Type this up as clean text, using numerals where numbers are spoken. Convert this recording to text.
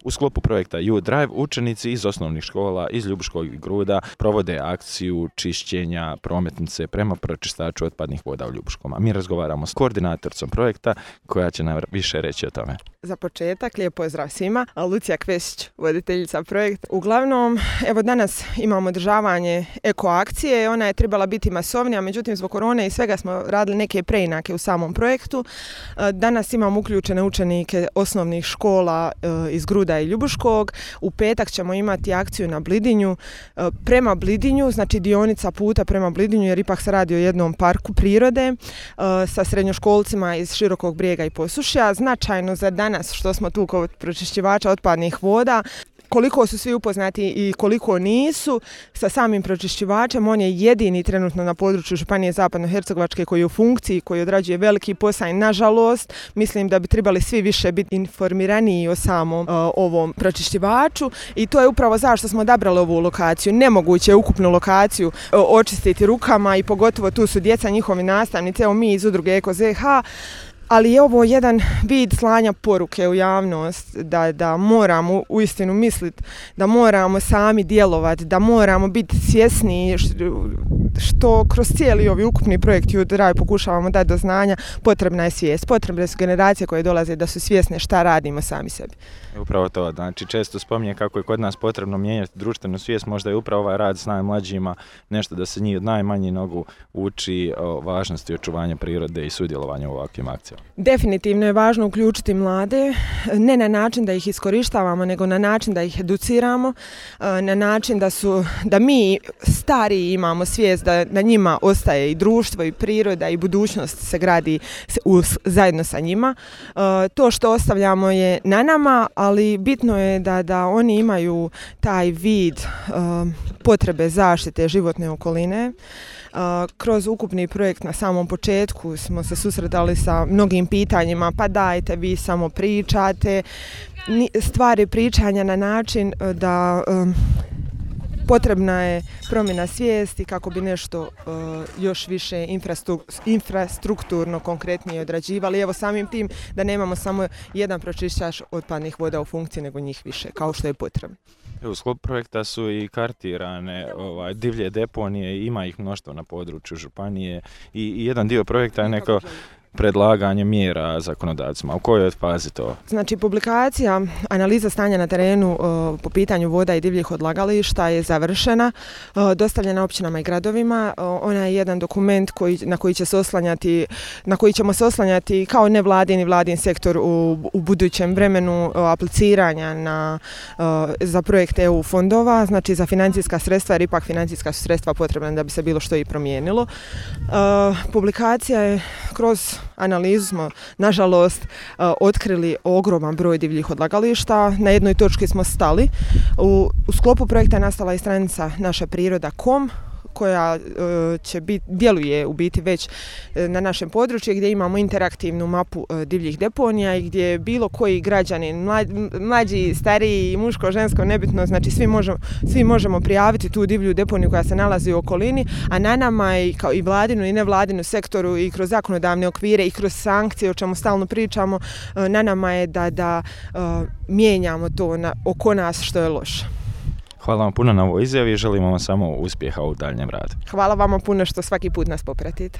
U sklopu projekta Youth Drive učenici iz osnovnih škola iz Ljubuškog i Gruda provode akciju čišćenja prometnice prema pročistaču otpadnih voda u Ljubuškom. A mi razgovaramo s koordinatoricom projekta koja će nam više reći o tome. Za početak, lijep pozdrav svima. Lucija Kvesić, voditeljica projekta. Uglavnom, evo danas imamo održavanje eko akcije. Ona je trebala biti masovnija, međutim zbog korone i svega smo radili neke preinake u samom projektu. Danas imamo uključene učenike osnovnih škola iz Gruda i Ljubuškog. U petak ćemo imati akciju na Blidinju. Prema Blidinju, znači dionica puta prema Blidinju, jer ipak se radi o jednom parku prirode sa srednjoškolcima iz Širokog Brijega i Posušja. Značajno za danas što smo tu kod pročišćivača otpadnih voda, koliko su svi upoznati i koliko nisu sa samim pročišćivačem. On je jedini trenutno na području Županije Zapadnohercegovačke koji je u funkciji, koji odrađuje veliki posao i nažalost mislim da bi trebali svi više biti informiraniji o samom ovom pročišćivaču i to je upravo zašto smo odabrali ovu lokaciju. Nemoguće je ukupnu lokaciju očistiti rukama i pogotovo tu su djeca, njihovi nastavnici, evo mi iz udruge Eko ZH, ali je ovo jedan vid slanja poruke u javnost da moramo uistinu misliti, da moramo sami djelovati, da moramo biti svjesni što kroz cijeli ovi ukupni projekt Youth Drive pokušavamo dati do znanja. Potrebna je svijest, potrebne su generacije koje dolaze da su svjesne šta radimo sami sebi. Upravo to, znači često spominje kako je kod nas potrebno mijenjati društvenu svijest, možda je upravo ovaj rad s najmlađima nešto da se njih od najmanjih nogu uči o važnosti očuvanja prirode i sudjelovanja u ovakvim akcijama. Definitivno je važno uključiti mlade, ne na način da ih iskorištavamo, nego na način da ih educiramo, na način da mi stariji imamo svijest da na njima ostaje i društvo i priroda i budućnost se gradi zajedno sa njima. To što ostavljamo je na nama, ali bitno je da oni imaju taj vid potrebe zaštite životne okoline. Kroz ukupni projekt na samom početku smo se susretali sa mnogim pitanjima, pa dajte vi samo pričate. Stvari pričanja na način da potrebna je promjena svijesti kako bi nešto još više infrastrukturno konkretnije odrađivali. Evo samim tim da nemamo samo jedan pročišćač otpadnih voda u funkciji, nego njih više, kao što je potrebno. U sklopu projekta su i kartirane divlje deponije, ima ih mnoštvo na području županije i jedan dio projekta je neko predlaganje mjera zakonodavcima. U kojoj je fazi to? Znači, publikacija, analiza stanja na terenu po pitanju voda i divljih odlagališta je završena, dostavljena općinama i gradovima. Ona je jedan dokument na koji ćemo se oslanjati kao nevladin i vladin sektor u budućem vremenu apliciranja za projekte EU fondova, znači za financijska sredstva, jer ipak financijska su sredstva potrebna da bi se bilo što i promijenilo. Publikacija je kroz analizu smo, nažalost, otkrili ogroman broj divljih odlagališta. Na jednoj točki smo stali. U sklopu projekta je nastala i stranica našapriroda.com koja djeluje u biti već na našem području gdje imamo interaktivnu mapu divljih deponija i gdje bilo koji građanin, mlađi, stariji, muško, žensko, nebitno, znači svi možemo prijaviti tu divlju deponiju koja se nalazi u okolini, a na nama je kao i vladinu i nevladinu sektoru i kroz zakonodavne okvire i kroz sankcije o čemu stalno pričamo, na nama je da mijenjamo to oko nas što je loše. Hvala vam puno na ovoj izjavi i želimo vam samo uspjeha u daljnjem radu. Hvala vama puno što svaki put nas popratite.